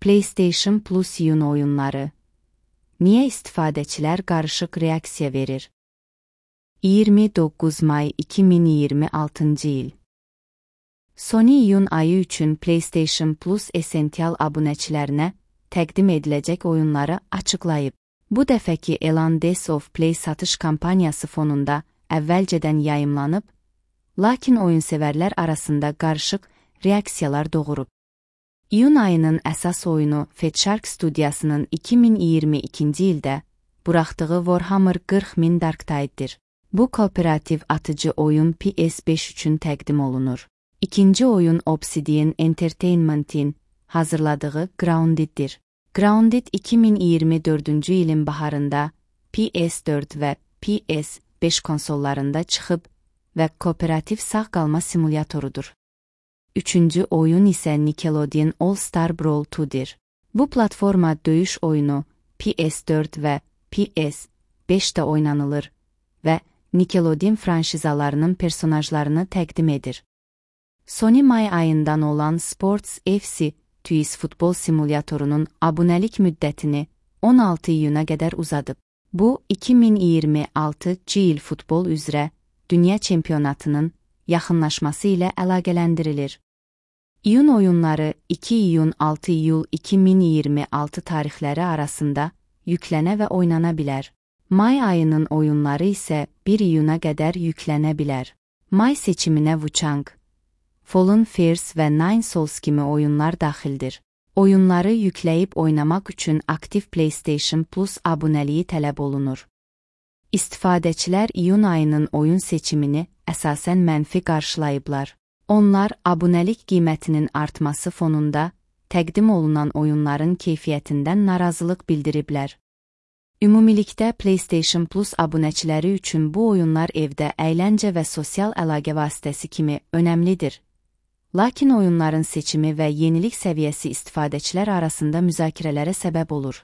PlayStation Plus iyun oyunları. Niyə istifadəçilər qarışıq reaksiya verir? 29 may 2026 il. Sony iyun ayı üçün PlayStation Plus Essential abunəçilərinə təqdim ediləcək oyunları açıqlayıb. Bu dəfəki elan Days of Play satış kampaniyası fonunda əvvəlcədən yayımlanıb, lakin oyunsevərlər arasında qarışıq reaksiyalar doğurub. İyun ayının əsas oyunu Fatshark studiyasının 2022-ci ildə buraxdığı Warhammer 40.000 Darktide'dir. Bu kooperativ atıcı oyun PS5 üçün təqdim olunur. İkinci oyun Obsidian Entertainment'in hazırladığı Grounded'dir. Grounded 2024-cü ilin baharında PS4 və PS5 konsollarında çıxıb və kooperativ sağ qalma simulyatorudur. Üçüncü oyun isə Nickelodeon All-Star Brawl 2'dir. Bu platforma döyüş oyunu PS4 və PS5'də oynanılır və Nickelodeon franşizalarının personajlarını təqdim edir. Sony may ayından olan Sports FC TUIS futbol simulyatorunun abunəlik müddətini 16 iyuna qədər uzadıb. Bu, 2026-cı il futbol üzrə Dünya Çempionatının yaxınlaşması ilə əlaqələndirilir. İyun oyunları 2 iyun-6 iyul 2026 tarixləri arasında yüklənə və oynana bilər. May ayının oyunları isə 1 iyuna qədər yüklənə bilər. May seçiminə Wuchang, Fallen Fears və Nine Souls kimi oyunlar daxildir. Oyunları yükləyib oynamaq üçün aktiv PlayStation Plus abunəliyi tələb olunur. İstifadəçilər iyun ayının oyun seçimini əsasən mənfi qarşılayıblar. Onlar abunəlik qiymətinin artması fonunda təqdim olunan oyunların keyfiyyətindən narazılıq bildiriblər. Ümumilikdə PlayStation Plus abunəçiləri üçün bu oyunlar evdə əyləncə və sosial əlaqə vasitəsi kimi önəmlidir. Lakin oyunların seçimi və yenilik səviyyəsi istifadəçilər arasında müzakirələrə səbəb olur.